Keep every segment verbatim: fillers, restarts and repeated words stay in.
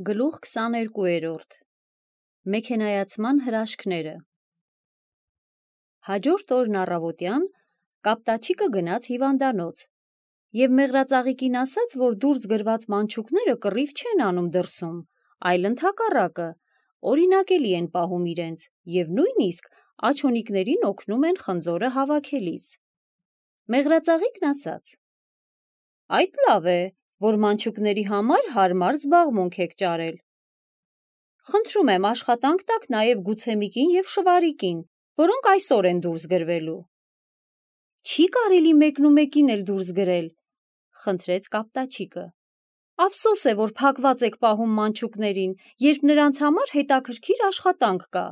Գլուխ քսաներկուերորդ Մեքենայացման հրաշքները Հաջորդ օրն առավոտյան Կապտաչիկը գնաց հիվանդանոց և մեղրածաղիկին ասաց, որ դուրս գրված մանչուկները կռիվ չեն անում դրսում, այլ ընդհակառակը, օրինակելի են պահում իրենց և նույնիսկ աջոնիկներին օգնում են խնձորը հավաքելիս։ Մեղրածաղիկն ասաց. Այդ լավ է, որ մանչուկների համար հարմար զբաղմունք եք ճարել։ Խնդրում եմ աշխատանք տաք նաև Գուցեմիկին և Շվարիկին, որոնք այսօր են դուրս գրվելու։ Չի կարելի մեկնումեկին էլ դուրս գրել, խնդրեց Կապտաչիկը։ Ափսոս է, որ փակված եք պահում մանչուկներին, երբ նրանց համար հետաքրքիր աշխատանք կա։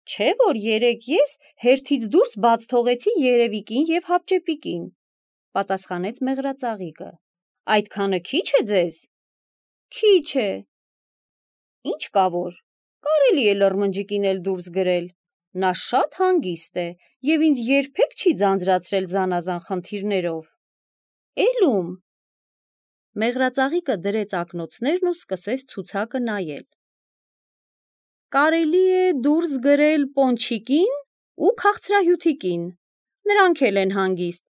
Չէ՞ որ երեկ ես հերթից դուրս բաց թողեցի Երևիկին և Հապճեպիկին, պատասխանեց մեղրածաղիկը։ Այդքանը քիչ է ձեզ։ Քիչ է։ Ինչ կա որ, կարելի է լրմնջիկին էլ դուրս գրել։ Նա շատ հանգիստ է և ինձ երբեք չի ձանձրացրել զանազան խնդիրներով։ Էլում։ Մեղրածաղիկը դրեց ակնոցներն ու սկսեց ցուցակը նայել։ Կարելի է դուրս գրել Պոնչիկին ու Քաղցրահյութիկին, նրանք էլ են հանգիստ։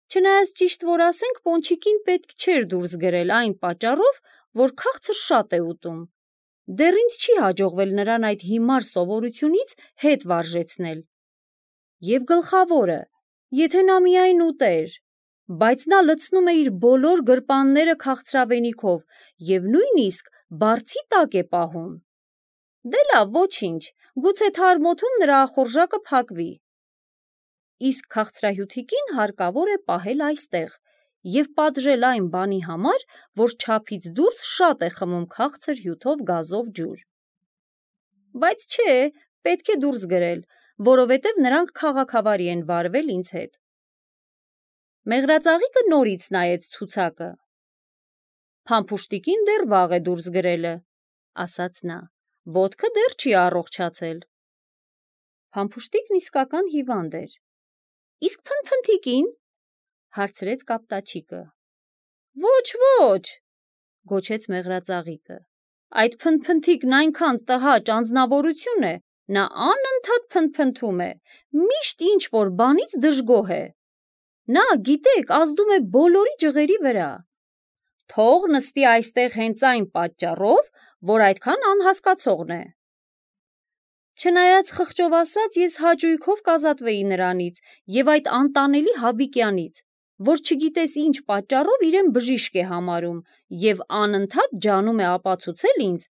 Չնայած ճիշտ որ ասենք, Պոնչիկին պետք չէր դուրս գրել այն պատճառով, որ քաղցր շատ է ուտում։ Դեռ ինձ չի հաջողվել նրան այդ հիմար սովորությունից հետ վարժեցնել։ Եվ գլխավորը, եթե նա միայն ուտեր, բայց նա լցնում է իր բոլոր գրպանները քաղցրավենիքով և նույնիսկ բարձի տակ է պահում։ Դե լավ, ոչինչ, գուցե թարմ օդում նրա ախորժակը փակվի։ Իսկ Քաղցրահյութիկին հարկավոր է պահել այստեղ և պատժել այն բանի համար, որ չափից դուրս շատ է խմում քաղցր հյութով գազով ջուր։ Բայց չէ, պետք է դուրս գրել, որովհետև նրանք քաղաքավարի են վարվել ինձ հետ։ Մեղրածաղիկը նորից նայեց ցուցակը։ Փամփուշտիկին դեռ վաղ է դուրս գրելը, ասաց նա, ոտքը դեռ չի առողջացել։ Փամփուշտիկն իսկական հիվանդ էր։ Իսկ Փնփնթիկին, հարցրեց Կապտաչիկը։ Ոչ, ոչ, գոչեց մեղրածաղիկը։ Այդ Փնփնթիկն այնքան տհաճ անձնավորություն է, նա անընդհատ փնթփնթում է, միշտ ինչ-որ բանից դժգոհ է։ Նա, գիտեք, ազդում է բոլորի ջղերի վրա։ Թող նստի այստեղ հենց այն պատճառով, որ այդքան անհասկացողն է։ Չնայած խղճով ասած, ես հաճույքով կազատվեի նրանից և այդ անտանելի Հաբիկյանից, որ չգիտես ինչ պատճառով իրեն բժիշկ է համարում և անընդհատ ջանում է ապացուցել ինձ,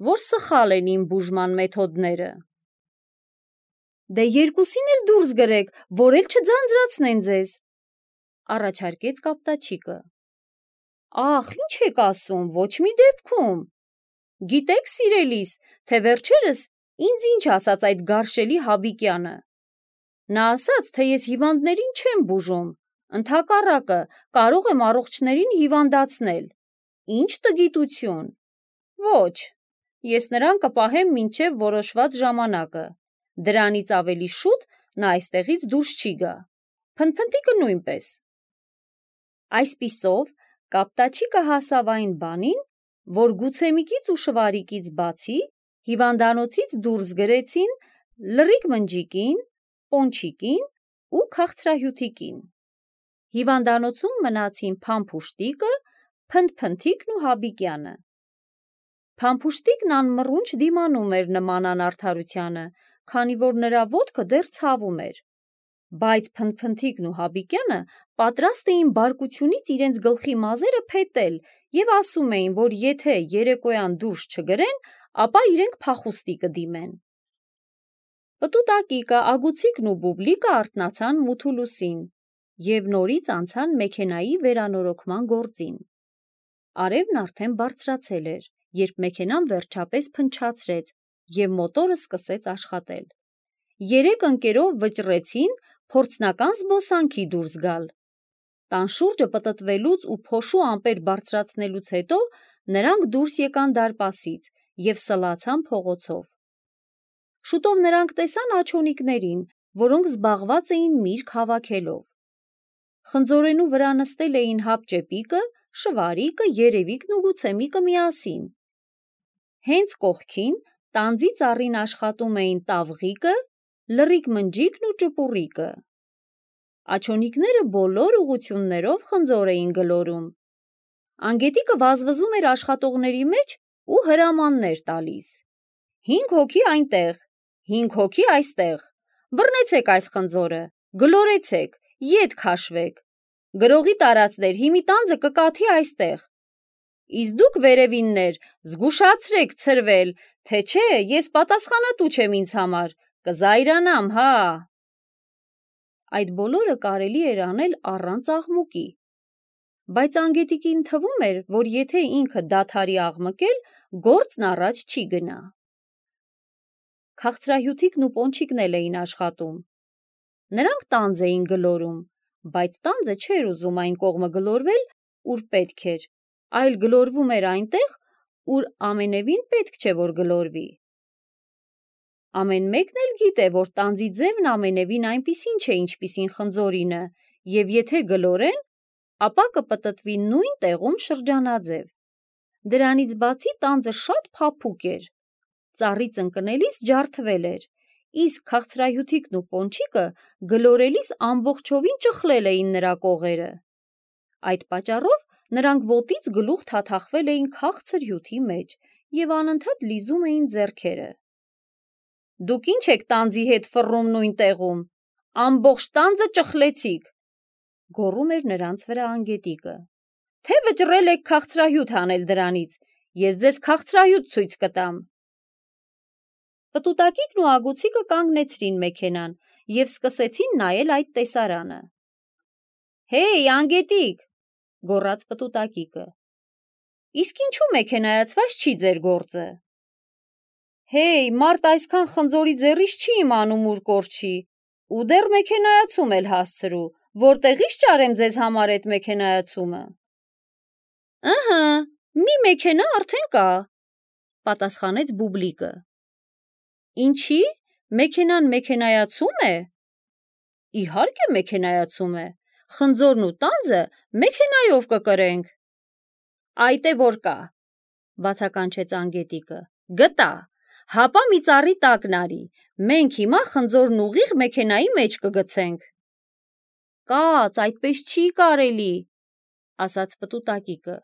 որ սխալ են իմ բուժման մեթոդները։ Դե երկուսին էլ դուրս գրեք, որ էլ չձանձրացնեն ձեզ, առաջարկեց Կապտաչիկը։ Ախ, ինչ եք ասում, ոչ մի դեպքում։ Գիտեք, սիրելիս, թե վերջերս ինձ ինչ ասաց այդ գարշելի Հաբիկյանը։ Նա ասաց, թե ես հիվանդներին չեմ բուժում, ընդհակառակը, կարող եմ առողջներին հիվանդացնել։ Ինչ տգիտություն։ Ոչ, ես նրան կպահեմ մինչև որոշված ժամանակը։ Դրանից ավելի շուտ նա այստեղից դուրս չի գա։ Փնփնթիկը նույնպես։ Այսպիսով, Կապտաչիկը հասավ այն բանին, որ Գուցեմիկից ու Շվարիկից բացի հիվանդանոցից դուրս գրեցին Լռիկ Մնջիկին, Պոնչիկին ու Քաղցրահյութիկին։ Հիվանդանոցում մնացին Փամփուշտիկը, Փնթփնթիկն ու Հաբիկյանը։ Փամփուշտիկն անմռունչ դիմանում էր նման անարդարությանը, քանի որ նրա ոտքը դեռ ցավում էր։ Բայց Փնթփնթիկն ու Հաբիկյանը պատրաստ էին բարկությունից իրենց գլխի մազերը փետել և ասում էին, որ եթե երեկոյան դուրս չգրեն, ապա իրենք փախուստի կդիմեն։ Պտուտակիկը, Ագուցիկն ու Բուբլիկը արթնացան մութուլուսին և նորից անցան մեքենայի վերանորոգման գործին։ Արևն արդեն բարձրացել էր, երբ մեքենան վերջապես փնչացրեց և մոտորը սկսեց աշխատել։ Երեք ընկերով վճռեցին փորձնական զբոսանքի դուրս գալ։ Տան շուրջը պտտվելուց ու փոշու ամպեր բարձրացնելուց հետո նրանք դուրս եկան դարպասից և սլացան փողոցով։ Շուտով նրանք տեսան աջոնիկներին, որոնք զբաղված էին միրգ հավաքելով։ Խնձորենու վրա նստել էին Հապճեպիկը, Շվարիկը, Երևիկն ու գուցե Միկը միասին։ Հենց կողքին տանձի ծառին աշխատում էին Տավղիկը, Լռիկ Մնջիկն ու Ճպուռիկը։ Աջոնիկները բոլոր ուղություններով խնձոր էին գլորում։ Անգետիկը վազվզում էր աշխատողների մեջ ու հրամաններ տալիս։ Հինգ հոգի այնտեղ, հինգ հոգի այստեղ, բռնեցեք այս խնձորը, գլորեցեք, ետ քաշվեք, գրողի տարածներ, հիմի տանձը կկաթի այստեղ։ Իսկ դուք վերևիններ, զգուշացրեք ցրվել, թե չէ ես պատասխանատու չեմ ինձ համար, կզայրանամ, հա։ Այդ բոլորը կարելի էր անել առանց աղմուկի, բայց Անգետիկին թվում էր, որ եթե ինքը դադարի աղմկել, գործն առաջ չի գնա։ Քաղցրահյութիկն ու Պոնչիկն էլ էին աշխատում։ Նրանք տանձ էին գլորում, բայց տանձը չէր ուզում այն կողմը գլորվել, ուր պետք էր, այլ գլորվում էր այնտեղ, ուր ամենևին պետք չէ, որ գլորվի։ Ամեն մեկն էլ գիտե, որ տանձի ձևն ամենևին այնպիսին չէ, ինչպիսին խնձորինը, և եթե գլորեն, ապա կպտտվի նույն տեղում շրջանաձև։ Դրանից բացի տանձը շատ փափուկ էր, ծառից ընկնելիս ջարդվել էր, իսկ քաղցրահյութիկն ու Պոնչիկը գլորելիս ամբողջովին ճխլել էին նրա կողերը։ Այդ պատճառով նրանք ոտից գլուխ թաթախվել էին քաղցր հյութի մեջ և անընդհատ լիզում էին ձեռքերը։ Դուք ինչ եք տանձի հետ ֆռռում նույն տեղում, ամբողջ տանձը ճխլեցիք, գոռում էր նրանց վրա Անգետիկը, թե վճռել եք քաղցրահյութ անել դրանից, ես ձեզ քաղցրահյութ ցույց կտամ։ Պտուտակիկն ու Ագուցիկը կանգնեցրին մեքենան և սկսեցին նայել այդ տեսարանը։ Հեյ, Անգետիկ, գոռաց Պտուտակիկը, իսկ ինչու մեքենայացված չի ձեր գործը։ Հեյ, մարդ այսքան խնձորի ձեռից չի իմանում ուր կորչի, ու դեռ մեքենայացում էլ հասցրու, որտեղից ճարեմ ձեզ համար էդ մեքենայացումը։ Ըհը, մի մեքենա արդեն կա, պատասխանեց Բուբլիկը։ Ինչի, մեքենան մեքենայացում է։ Իհարկե մեքենայացում է, խնձորն ու տանձը մեքենայով կկրենք։ Այդ է որ կա, բացականչեց Անգետիկը, գտա, հապա մի ծառի տակն արի, մենք հիմա խնձորն ուղիղ մեքենայի մեջ կգցենք։ Կաց, այդպես չի կարելի, ասաց Պտուտակիկը,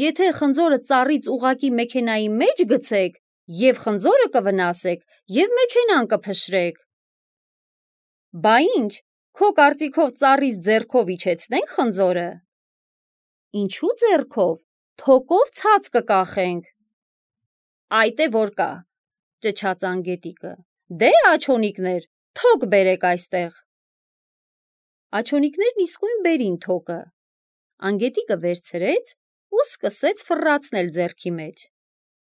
եթե խնձորը ծառից ուղղակի մեքենայի մեջ գցեք, և խնձորը կվնասեք, և մեքենան կփշրեք։ Բա ինչ, քո կարծիքով ծառից ձեռքով իջեցնենք խնձորը։ Ինչու ձեռքով, թոկով ցած կկախենք։ Այդ է որ կա, ճչաց Անգետիկը, դե աջոնիկներ, թոկ բերեք այստեղ։ Աջոնիկներն իսկույն բերին թոկը։ Անգետիկը վերցրեց ու սկսեց ֆռռացնել ձեռքի մեջ։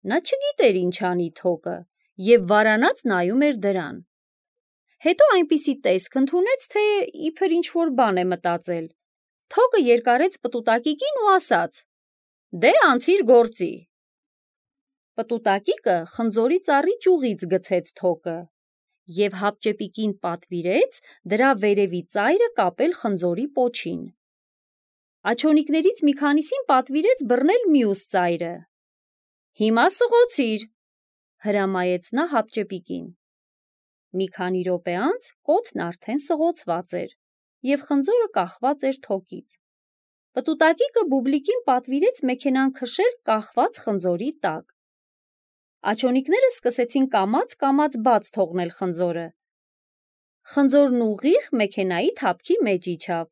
Նա չգիտեր ինչ անի թոկը և վարանած նայում էր դրան։ Հետո այնպիսի տեսք ընդունեց, թե իբր ինչ-որ բան է մտածել։ Թոկը երկարեց Պտուտակիկին ու ասաց. Դե անցիր գործի։ Պտուտակիկը խնձորի ծառի ճյուղից գցեց թոկը և հապճեպիկին պատվիրեց դրա վերևի ծայրը կապել խնձորի պոչին։ Աջոնիկներից մի քանիսին պատվիրեց բռնել մյուս ծայրը։ Հիմա սղոցիր, հրամայեց նա հապճեպիկին։ Մի քանի րոպե անց կոթն արդեն սղոցված էր և խնձորը կախված էր թոկից։ Պտուտակիկը Բուբլիկին պատվիրեց մեքենան քշել կախված խնձորի տակ։ Աջոնիկները սկսեցին կամաց-կամաց բաց թողնել խնձորը։ Խնձորն ուղիղ մեքենայի թափքի մեջ իջավ։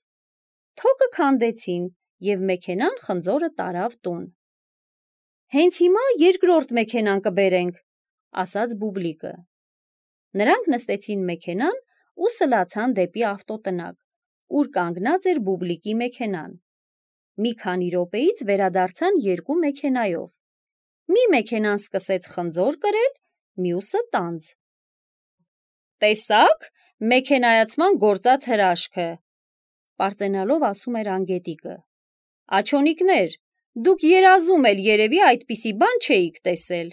Թոկը քանդեցին և մեքենան խնձորը տարավ տուն։ Հենց հիմա երկրորդ մեքենան կբերենք, ասաց Բուբլիկը։ Նրանք նստեցին մեքենան ու սլացան դեպի ավտոտնակ, ուր կանգնած էր Բուբլիկի մեքենան։ Մի քանի րոպեից վերադարձան երկու մեքենայով։ Մի մեքենան սկսեց խնձոր կրել, մյուսը տանձ։ Տեսա՞ք, մեքենայացման գործած հրաշքը, պարծենալով ասում էր Անգետիկը։ Աջոնիկներ, դուք երազում էլ երևի այդպիսի բան չէիք տեսել։